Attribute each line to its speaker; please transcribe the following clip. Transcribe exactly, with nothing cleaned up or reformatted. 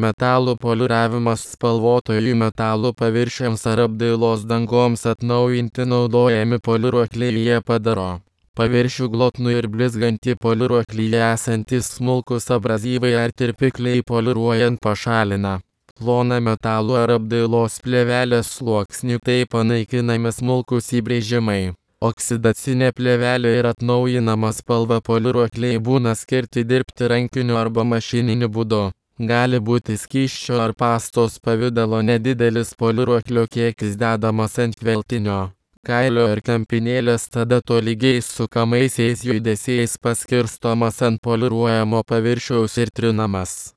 Speaker 1: Metalų poliuravimas spalvotojų metalų paviršiams ar apdailos dangoms atnaujinti naudojami poliuruokliai. Jie padaro paviršių glotnų ir blizgantį. Poliuruoklyje esantys smulkūs abrazyvai ar tirpikliai poliuruojant pašalina ploną metalų ar apdailos plėvelės sluoksnį, taip panaikinami smulkūs įbrėžimai. Oksidacinė plėvelė ir atnaujinama spalva. Poliuruokliai būna skirti dirbti rankiniu arba mašininiu būdu. Gali būti skysčio ar pastos pavidalo nedidelis poliuruoklio kiekis dedamas ant veltinio kailio ir kempinėlės, tada tolygiais sukamaisiais judesiais paskirstomas ant poliuruojamo paviršiaus ir trinamas.